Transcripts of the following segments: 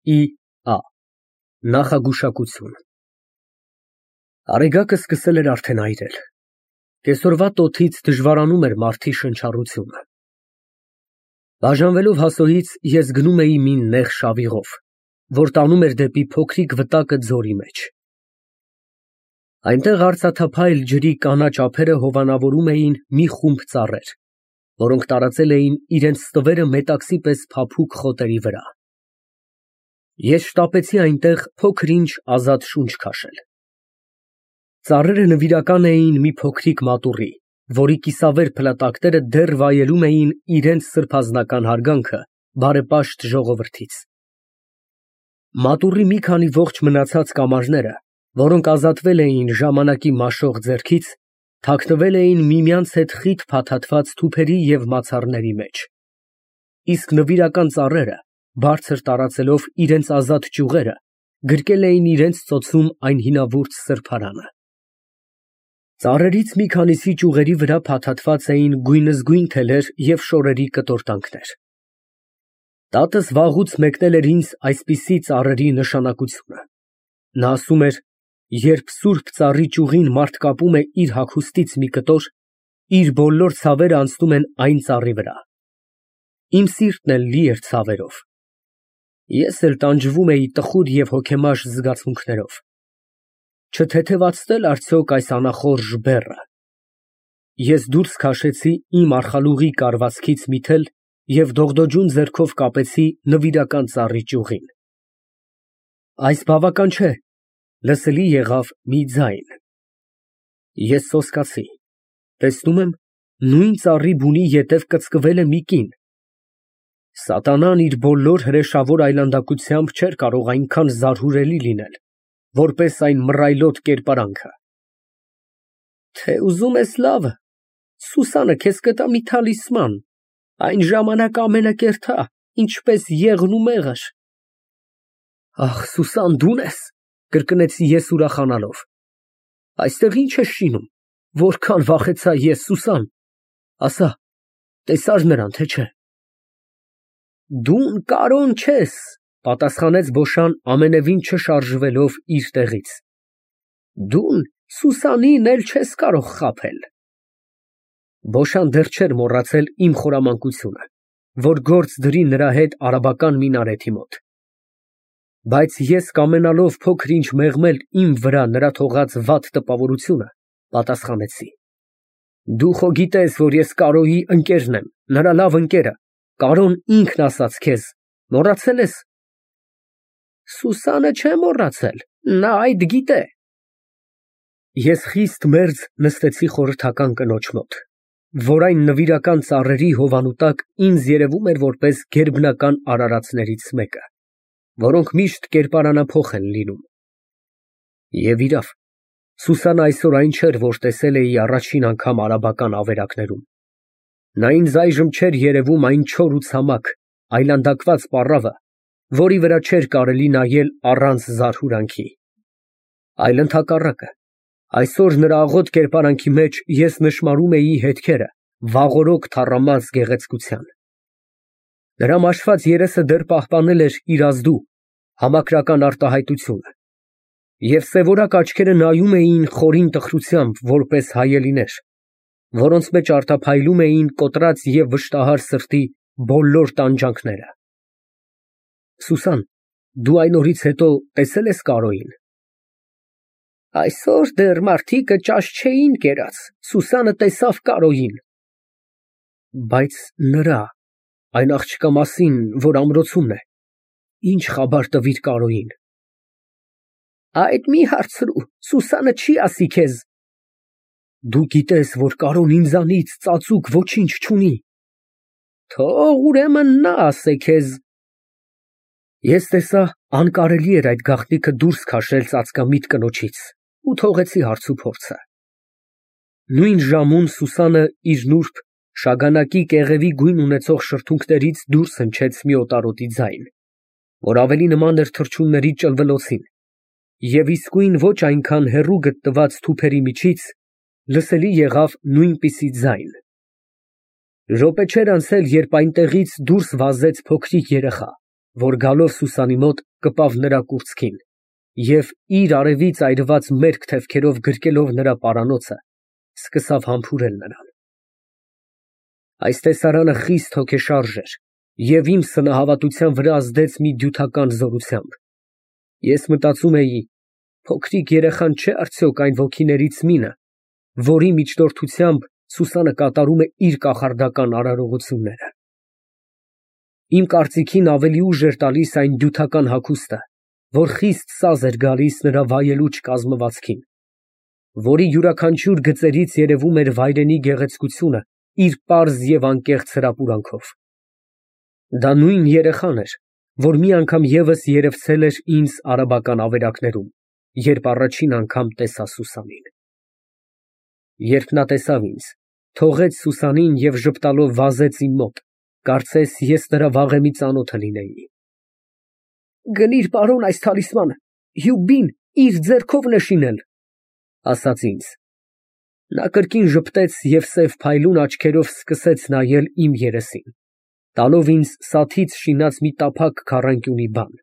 Ա Նախագուշակություն Արեգակը սկսել էր արդեն այրել։ Կեսօրվա տոթից դժվարանում էր մարդի շնչառությունը։ Բաժանվելով հասոյից ես գնում էի մի նեղ շավիղով, որ տանում էր դեպի փոքրիկ վտակը ձորի մեջ։ Այնտեղ արծաթափայլ ջրի կանաչ ափերը հովանավորում էին մի խումբ ծառեր, որոնք տարածել էին իրենց ստվերը մետաքսի պես փափուկ խոտերի վրա։ Ես շտապեցի այնտեղ փոքր-ինչ ազատ շունչ քաշել։ Ծառերը նվիրական էին մի փոքրիկ մատուռի, որի կիսավեր փլատակները դեռ վայելում էին իրենց սրբազանական հարգանքը բարեպաշտ ժողովրդից։ Մատուռի մի քանի ողջ մնացած կամարները, որոնք ազատվել էին ժամանակի մաշող ձեռքից, թաքնվել էին միմյանց հետ խիտ փաթաթված թուփերի և մացառների մեջ, իսկ նվիրական ծառերը, բարձր տարածելով իրենց ազատ ճյուղերը, գրկել էին իրենց ծոցում այն հինավուրց սրբարանը։ Ծառերից մի քանիսի ճյուղերի վրա փաթաթված էին գույնզգույն թելեր և շորերի կտորտանքներ։ Տատս վաղուց մեկնել էր ինձ այսպիսի ծառերի նշանակությունը։ Նա ասում էր, երբ սուրբ ծառի ճյուղին մարդ կապում է իր հագուստից մի կտոր, իր բոլոր ցավերը անցնում են այն ծառի վրա։ Իմ սիրտն էլ լի էր ցավերով։ Ես էլ տանջվում էի տխուր և հոգեմար զգացմունքներով։ Չթեթևացնե՞լ արդյոք այս անախորժ բեռը։ Ես դուրս քաշեցի իմ արխալուղի կարվածքից մի թել և դողդոջուն ձեռքով կապեցի նվիրական ծառի ճյուղին։ Այս բավական չէ, լսելի եղավ մի ձայն։ Ես սոսկացի, տեսնում եմ, նույն ծառի բունի ետև կծկվել է մի կին։ Սատանան իր բոլոր հրեշավոր այլանդակությամբ չէր կարող այնքան զարհուրելի լինել, որպես այն մռայլոտ կերպարանքը։ Թե ուզում ես լավը, Սուսանը քեզ կտա մի թալիսման, այն ժամանակ ամենակերտա, ինչպես եղն ու մեղր։ Ախ, Սուսան, դու՞ն ես, կրկնեցի ես ուրախանալով։ Այստեղ ի՞նչ ես շինում, որքան վախեցա ես, Սուսան, ասա, տեսա՞ր նրան, թե չէ։ Դու կարոն չես, պատասխանեց Բոշան ամենևին չշարժվելով իր տեղից։ Դու Սուսանին էլ չես կարող խաբել։ Բոշան դեռ չէր մոռացել իմ խորամանկությունը, որ գործ դրի նրա հետ արաբական մինարեթի մոտ։ Բայց ես կամենալով փոքր-ինչ մեղմել իմ վրա նրա թողած վատ տպավորությունը, պատասխանեցի. Դու խո գիտես, որ ես Կարոյի ընկերն եմ, նրա լավ ընկերը, Կարոն ինքն ասաց քեզ, մոռացել ես։ Սուսանը չէ մոռացել, նա այդ գիտե։ Ես խիստ մերձ նստեցի խորհրդական կնոջ մոտ, որ այն նվիրական ծառերի հովանու տակ ինձ երևում էր որպես գերբնական արարածներից մեկը, որոնք միշտ կերպարանափոխ են լինում։ Եվ իրավ, Սուսանը այսօր այն չէր, որ տեսել էի առաջին անգամ արաբական ավերակներում։ Նա ինձ այժմ չէր երևում այն չոր ու ցամաք, այլանդակված պառավը, որի վրա չէր կարելի նայել առանց զարհուրանքի։ Այլ ընդհակառակը, այսօր նրա աղոտ կերպարանքի մեջ ես նշմարում էի հետքերը վաղօրոք թառամած գեղեցկության։ Նրա մաշված երեսը դեռ պահպանել էր իր ազդու, համակրական արտահայտությունը, և սևորակ աչքերը նայում էին խորին տխրությամբ, որպես հայելիներ, որոնց մեջ արտափայլում էին կոտրած և վշտահար սրտի բոլոր տանջանքները։ Սուսան, դու այն օրից հետո տեսե՞լ ես Կարոյին։ Այսօր դեռ մարդիկը ճաշ չէին կերած, Սուսանը տեսավ Կարոյին։ Բայց նրա, այն աղջկա մասին, որ ամրոցումն է, ինչ խաբար տվիր Կարոյին։ Այդ մի հարցրու, Սուսանը չի ասի քեզ։ Դու գիտես, որ Կարոն ինձանից ծածուկ ոչինչ չունի։ Թող ուրեմն նա ասե քեզ։ Ես տեսա, անկարելի էր այդ գաղտնիքը դուրս քաշել ծածկամիտ կնոջից ու թողեցի հարցուփորձը։ Նույն ժամուն Սուսանը իր նուրբ, շագանակի կեղևի գույն ունեցող շրթունքներից դուրս հնչեց մի օտարոտի ձայն, որ ավելի նման էր թռչունների ճլվլոցին, և իսկույն ոչ այնքան հեռու գտնված թուփերի միջից լսելի եղավ նույնպիսի ձայն։ Րոպե չէր անցել, երբ այնտեղից դուրս վազեց փոքրիկ երեխա, որ գալով Սուսանի մոտ կպավ նրա կուրծքին և իր արևից այրված մերկ թևքերով գրկելով նրա պարանոցը, սկսավ համբուրել նրան։ Այս տեսարանը խիստ հոգեշարժ էր և իմ սնահավատության վրա ազդեց մի դյութական զորությամբ։ Ես մտածում էի. փոքրիկ երեխան չէ՞ արդյոք այն ոգիներից մինը, որի միջնորդությամբ Սուսանը կատարում է իր կախարդական արարողությունները։ Իմ կարծիքին ավելի ուժ էր տալիս այն դյութական հագուստը, որ խիստ սազ էր գալիս նրա վայելուչ կազմվածքին, որի յուրաքանչյուր գծերից երևում էր վայրենի գեղեցկությունը իր պարզ և անկեղծ հրապուրանքով։ Դա նույն երեխան էր, որ մի անգամ ևս երևցել էր ինձ արաբական ավերակներում, երբ առաջին անգամ տեսա Սուսանին։ Երբ նա տեսավ ինձ, թողեց Սուսանին և ժպտալով վազեց իմ մոտ, կարծես ես նրա վաղեմի ծանոթը լինեի։ «Գնիր, պարոն, այս թալիսմանը, Հյուբին իր ձեռքով է շինել», ասաց ինձ։ Նա կրկին ժպտեց և սև փայլուն աչքերով սկսեց նայել իմ երեսին, տալով ինձ սաթից շինած մի տափակ քառանկյունի բան։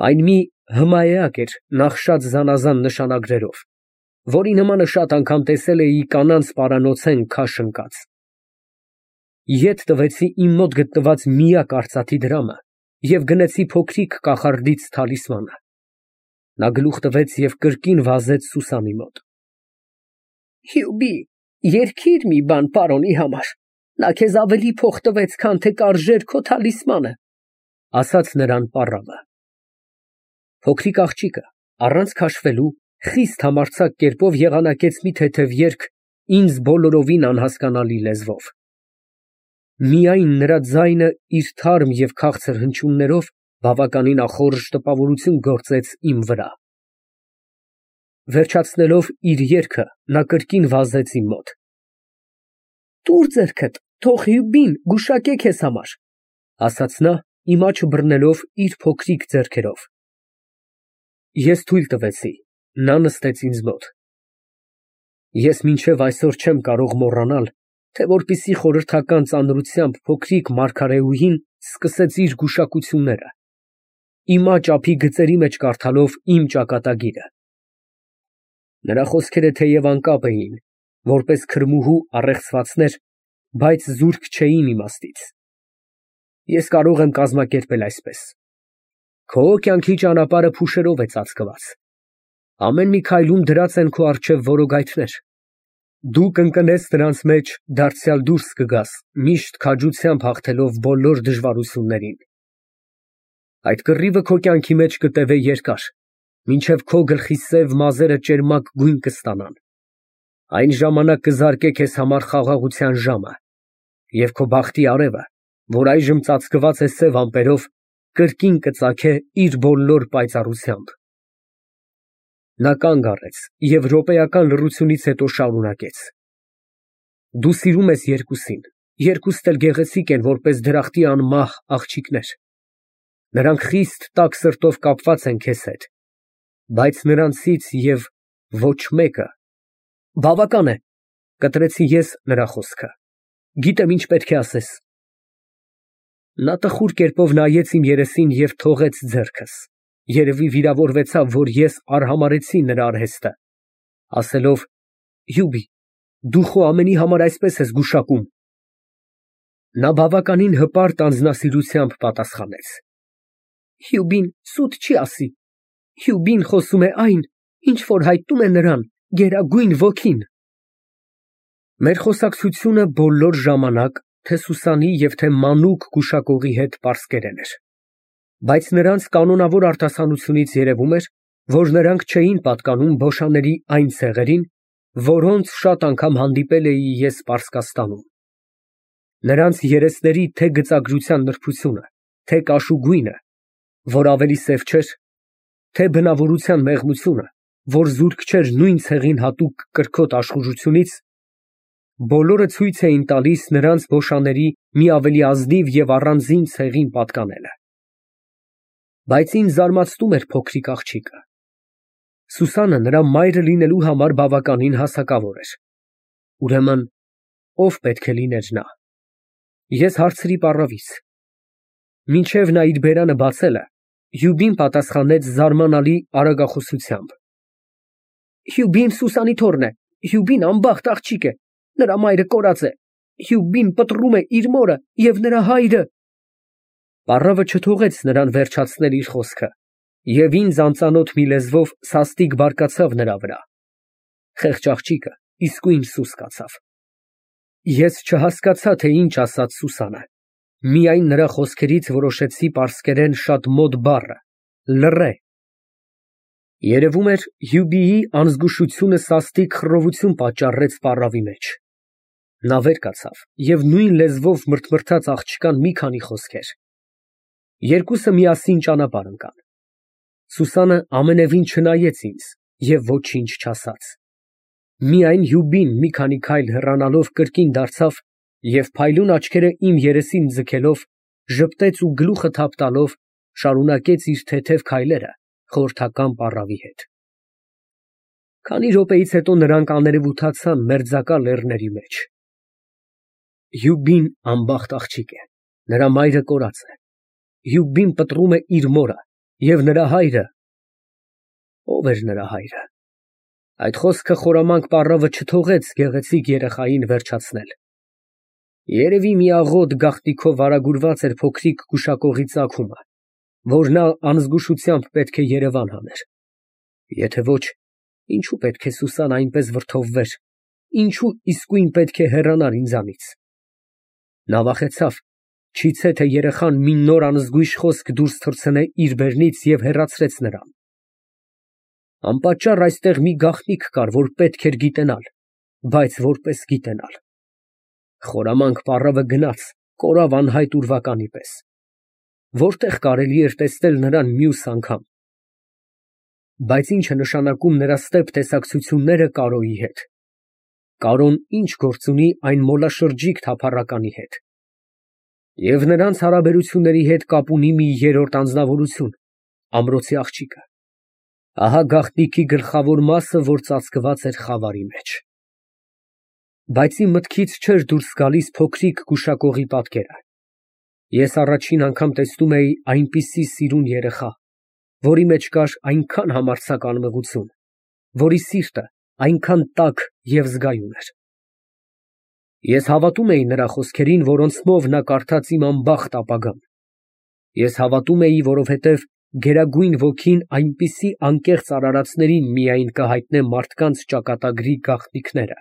Այն մի հմայեակ էր նախշած զանազան նշանագրերով, որի նմանը շատ անգամ տեսել էի կանանց պարանոցեն քաշ ընկած։ Ետ տվեցի իմ մոտ գտնված միակ արծաթի դրամը և գնեցի փոքրիկ կախարդից թալիսմանը։ Նա գլուխ տվեց և կրկին վազեց Սուսանի մոտ։ «Հյուբի, երգիր մի բան պարոնի համար, նա քեզ ավելի փող տվեց, քան թե կարժեր քո թալիսմանը», ասաց նրան պառավը։ Փոքրիկ աղջիկը առանց քաշվելու խիստ համարձակ կերպով եղանակեց մի թեթև երգ ինձ բոլորովին անհասկանալի լեզվով։ Միայն նրա ձայնը իր թարմ և քաղցր հնչյուններով բավականին ախորժ տպավորություն գործեց իմ վրա։ Վերջացնելով իր երգը, նա կրկին վազեց իմ մոտ։ «Տուր ձեռքդ, թող Հյուբին գուշակե քեզ համար», ասաց նա, իմ աջը բռնելով իր փոքրիկ ձեռքերով։ Ես թույլ տվեցի, նա նստեց ինձ մոտ։ Ես մինչև այսօր չեմ կարող մոռանալ, թե որպիսի խորհրդական ծանրությամբ փոքրիկ մարգարեուհին սկսեց իր գուշակությունները, իմ աջ ափի գծերի մեջ կարդալով իմ ճակատագիրը։ Նրա խոսքերը թեև անկապ էին, որպես քրմուհու առեղծվածներ, բայց զուրկ չէին իմաստից։ Ես կարող եմ կազմակերպել այսպես. քո կյանքի ճանապարհը փուշերով է ծածկված, ամեն մի քայլում դրած են քո առջև որոգայթներ, դու կընկնես նրանց մեջ, դարձյալ դուրս կգաս, միշտ քաջությամբ հաղթելով բոլոր դժվարություններին։ Այդ կռիվը քո կյանքի մեջ կտևե երկար, մինչև քո գլխի սև մազերը ճերմակ գույն կստանան, այն ժամանակ կզարկե քեզ համար խաղաղության ժամը, և քո բախտի արևը, որ այժմ ծածկված է սև ամպերով, կրկին կծագե իր բոլոր պայծառությամբ։ Նա կանգ առեց և րոպեական լռությունից հետո շարունակեց. Դու սիրում ես երկուսին, երկուստ էլ գեղեցիկ են, որպես դրախտի անմահ աղջիկներ։ Նրանք խիստ տաք սրտով կապված են քեզ հետ, բայց նրանցից և ոչ մեկը… Բավական է, կտրեցի ես նրա խոսքը, գիտեմ ինչ պետք է ասես։ Նա տխուր կերպով նայեց իմ երեսին և թողեց ձեռքս, երևի վիրավորվեցավ, որ ես արհամարհեցի նրա արհեստը, ասելով. Հյուբի, դու խո ամենի համար այսպես ես գուշակում։ Նա բավականին հպարտ անձնասիրությամբ պատասխանեց. Հյուբին սուտ չի ասի, Հյուբին խոսում է այն, ինչ որ հայտնում է նրան գերագույն ոգին։ Մեր խոսակցությունը բոլոր ժամանակ թե Սուսանի և թե մանուկ գուշակողի հետ պարսկերեն էր, բայց նրանց կանոնավոր արտասանությունից երևում էր, որ նրանք չէին պատկանում բոշաների այն ցեղերին, որոնց շատ անգամ հանդիպել էի ես Պարսկաստանում։ Նրանց երեսների թե գծագրության նրբությունը, թե կաշու գույնը, որ ավելի սև չէր, թե բնավորության մեղմությունը, որ զուրկ չէր նույն ցեղին հատուկ կրքոտ աշխուժությունից, բոլորը ցույց էին տալիս նրանց բոշաների մի ավելի ազնիվ և առանձին ցեղին պատկանելը։ Բայց ինձ զարմացնում էր փոքրիկ աղջիկը։ Սուսանը նրա մայրը լինելու համար բավականին հասակավոր էր։ Ուրեմն, ո՞վ պետք է լիներ նա։ Ես հարցրի պառավից. մինչև նա իր բերանը բացելը, Հյուբին պատասխանեց զարմանալի արագախոսությամբ։ Հյուբին Սուսանի թոռն է, Հյուբին անբախտ աղջիկ է, նրա մայրը կորած է, Հյուբին պտռում է իր մորը և նրա հայրը։ Պառավը չթողեց նրան վերջացնել իր խոսքը և ինձ անծանոթ մի լեզվով սաստիկ բարկացավ նրա վրա։ Խեղճ աղջիկը իսկույն սուս կացավ։ Ես չհասկացա, թե ինչ ասաց Սուսանը, միայն նրա խոսքերից որոշեցի պարսկերեն շատ մոտ բառը՝ լռե։ Երևում էր, Հյուբիի անզգուշությունը սաստիկ խռովություն պատճառեց պառավի մեջ։ Նա վեր կացավ և նույն լեզվով մրթմրթաց աղջկան մի քանի խոսքեր։ Երկուսը միասին ճանապարհ ընկան։ Սուսանը ամենևին չնայեց ինձ և ոչինչ չասաց։ Միայն Հյուբին մի քանի քայլ հեռանալով կրկին դարձավ և փայլուն աչքերը իմ երեսին ձգելով, ժպտեց ու գլուխը թափ տալով շարունակեց իր թեթև քայլերը խորհրդական պառավի հետ։ Քանի րոպեից հետո նրանք աներևութացան մերձակա լեռների մեջ։ Հյուբին անբախտ աղջիկ է, նրա մայրը կորած է։ Հյուբին պտռում է իր մորը և նրա հայրը… Ո՞վ էր նրա հայրը։ Այդ խոսքը խորամանկ պառավը չթողեց գեղեցիկ երեխային վերջացնել։ Երևի մի աղոտ գաղտնիքով վարագուրված էր փոքրիկ գուշակողի ծագումը, որ նա անզգուշությամբ պետք է երևան հաներ։ Եթե ոչ, ինչու պետք է Սուսան այնպես վրդովվեր, ինչու իսկույն պետք է հեռանար ինձանից։ Նա վախեցավ, չիցե թե երեխան մի նոր անզգույշ խոսք դուրս թռցնե իր բերնից և հեռացրեց նրան։ Անպատճառ այստեղ մի գաղտնիք կար, որ պետք էր գիտենալ, բայց որպես գիտենալ։ Խորամանկ պառավը գնաց, կորավ անհայտ ուրվականի պես։ Որտեղ կարելի էր տեսնել նրան մյուս անգամ։ Բայց ի՞նչ է նշանակում նրա ստեպ տեսակցությունները Կարոյի հետ։ Կարոն ի՞նչ գործ ունի այն մոլաշրջիկ թափառականի հետ։ Եվ նրանց հարաբերությունների հետ կապ ունի մի երրորդ անձնավորություն՝ ամրոցի աղջիկը։ Ահա գաղտնիքի գլխավոր մասը, որ ծածկված էր խավարի մեջ։ Բայց իմ մտքից չէր դուրս գալիս փոքրիկ գուշակողի պատկերը։ Ես առաջին անգամ տեսնում էի այնպիսի սիրուն երեխա, որի մեջ կար այնքան համարձակ անմեղություն, որի սիրտը այնքան տաք և զգայուն էր։ Ես հավատում էի նրա խոսքերին, որոնցմով նա կարդաց իմ անբախտ ապագան։ Ես հավատում էի, որովհետև գերագույն ոգին այնպիսի անկեղծ արարածներին միայն կհայտնե մարդկանց ճակատագրի գաղտնիքները։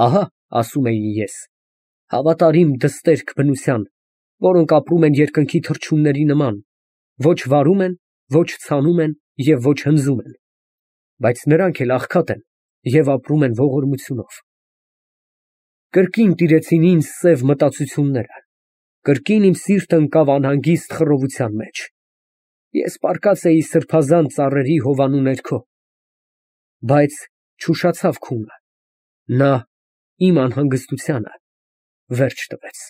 Ահա, ասում էի ես, հավատարիմ դստերք բնության, որոնք ապրում են երկնքի թռչունների նման, ոչ վարում են, ոչ ցանում են և ոչ հնձում են, բայց նրանք էլ աղքատ են և ապրում են ողորմությունով։ Կրկին տիրեցին ինձ սև մտածությունները, կրկին իմ սիրտը ընկավ անհանգիստ խռովության մեջ։ Ես պառկած էի սրբազան ծառերի հովանու ներքո, բայց չուշացավ քունը, նա իմ անհանգստությանը վերջ տվեց։